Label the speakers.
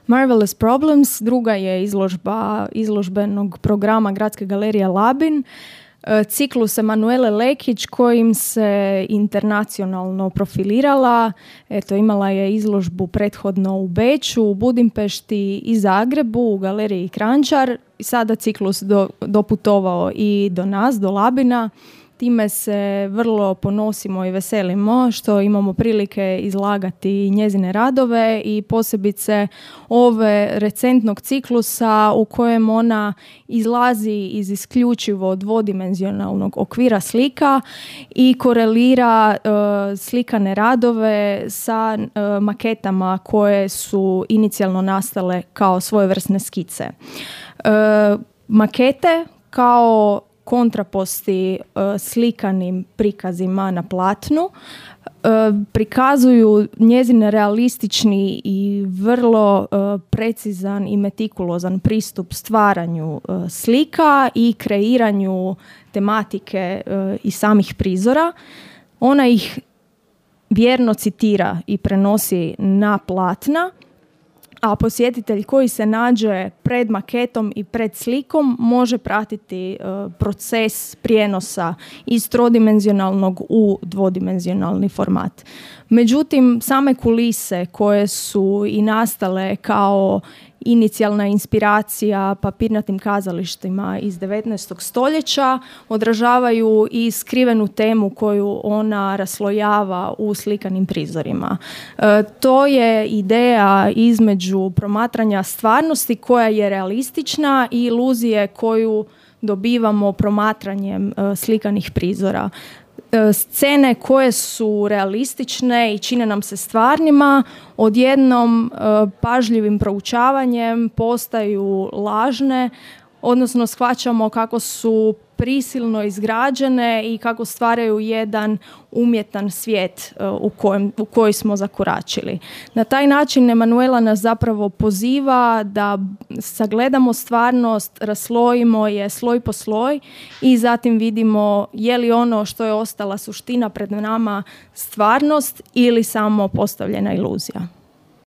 Speaker 1: Marvelous Problems, druga je izložba izložbenog programa Gradske galerije Labin, ciklus Emanuele Lekić kojim se internacionalno profilirala. Eto, imala je izložbu prethodno u Beču, u Budimpešti i Zagrebu u galeriji Kranjčar. Sada ciklus doputovao i do nas, do Labina. Time se vrlo ponosimo i veselimo što imamo prilike izlagati njezine radove i posebice ove recentnog ciklusa u kojem ona izlazi iz isključivo dvodimenzionalnog okvira slika i korelira slikane radove sa maketama koje su inicijalno nastale kao svojevrsne skice. Makete kao kontraposti slikanim prikazima na platnu prikazuju njezin realistični i vrlo precizan i metikulozan pristup stvaranju slika i kreiranju tematike i samih prizora. Ona ih vjerno citira i prenosi na platna, a posjetitelj koji se nađe pred maketom i pred slikom može pratiti proces prijenosa iz trodimenzionalnog u dvodimenzionalni format. Međutim, same kulise koje su i nastale kao inicijalna inspiracija papirnatim kazalištima iz 19. stoljeća odražavaju i skrivenu temu koju ona raslojava u slikanim prizorima. To je ideja između promatranja stvarnosti koja je realistična i iluzije koju dobivamo promatranjem slikanih prizora. Scene koje su realistične i čine nam se stvarnima, odjednom pažljivim proučavanjem postaju lažne, odnosno shvaćamo kako su prisilno izgrađene i kako stvaraju jedan umjetan svijet u koji smo zakoračili. Na taj način Emanuela nas zapravo poziva da sagledamo stvarnost, raslojimo je sloj po sloj i zatim vidimo je li ono što je ostala suština pred nama stvarnost ili samo postavljena iluzija.